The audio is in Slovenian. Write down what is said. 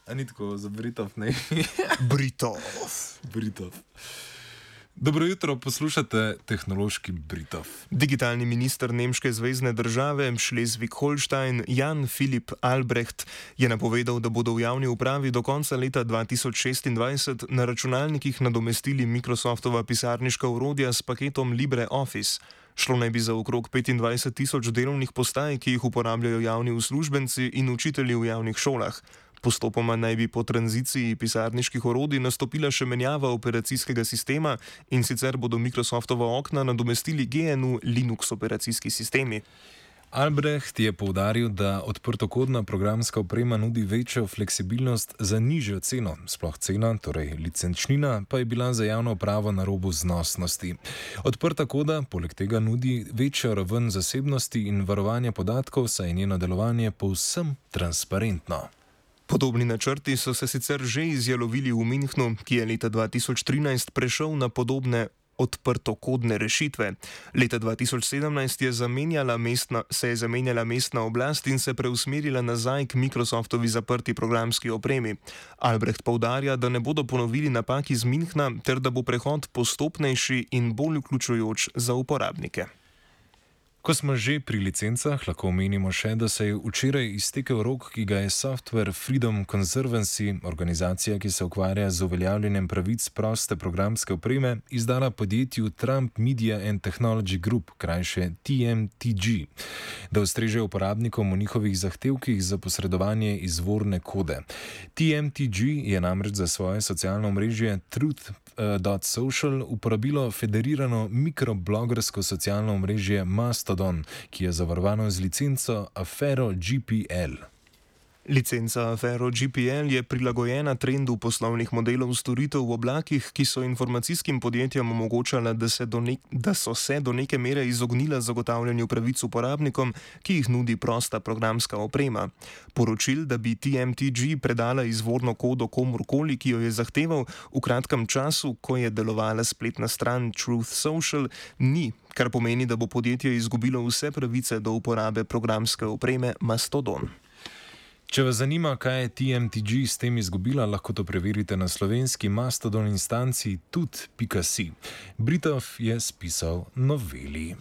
A ni tako za Britov, ne? Britov. Britov. Dobro jutro, poslušate tehnološki Britov. Digitalni minister nemške zvezne države Schleswig-Holstein Jan Philipp Albrecht je napovedal, da bodo v javni upravi do konca leta 2026 na računalnikih nadomestili Microsoftova pisarniška orodja s paketom LibreOffice. Šlo naj bi za okrog 25,000 delovnih postaj, ki jih uporabljajo javni uslužbenci in učitelji v javnih šolah. Postopoma naj bi po tranziciji pisarniških orodij nastopila še menjava operacijskega sistema, in sicer bodo Microsoftova okna nadomestili GNU Linux operacijski sistemi. Albrecht je poudaril, da odprtokodna programska oprema nudi večjo fleksibilnost za nižjo ceno. Sploh cena, torej licenčnina, pa je bila za javno upravo na robu znosnosti. Odprta koda poleg tega nudi večjo raven zasebnosti in varovanja podatkov, saj je njeno delovanje povsem transparentno. Podobni načrti so se sicer že izjalovili v Münchnu, ki je leta 2013 prešel na podobne odprtokodne rešitve. Leta 2017 se je zamenjala mestna oblast in se preusmerila nazaj k Microsoftovi zaprti programski opremi. Albrecht poudarja, da ne bodo ponovili napak iz Münchna ter da bo prehod postopnejši in bolj vključujoč za uporabnike. Ko smo že pri licencah, lahko omenimo še, da se je včeraj iztekel rok, ki ga je Software Freedom Conservancy, organizacija, ki se ukvarja z uveljavljanjem pravic proste programske opreme, izdala podjetju Trump Media and Technology Group, krajše TMTG, da ustreže uporabnikom v njihovih zahtevkih za posredovanje izvorne kode. TMTG je namreč za svoje socialno omrežje Truth.social uporabilo federirano mikroblogersko socialno omrežje Mastodon, ki je zavarovano z licenco Affero GPL. Licenca Affero GPL je prilagojena trendu poslovnih modelov storitev v oblakih, ki so informacijskim podjetjem omogočala, da so se do neke mere izognila zagotavljanju pravic uporabnikom, ki jih nudi prosta programska oprema. Poročil, da bi TMTG predala izvorno kodo komurkoli, ki jo je zahteval, v kratkem času, ko je delovala spletna stran Truth Social, ni, kar pomeni, da bo podjetje izgubilo vse pravice do uporabe programske opreme Mastodon. Če vas zanima, kaj je TMTG s tem izgubila, lahko to preverite na slovenski Mastodon instanci tut.si. Britov je spisal noveli.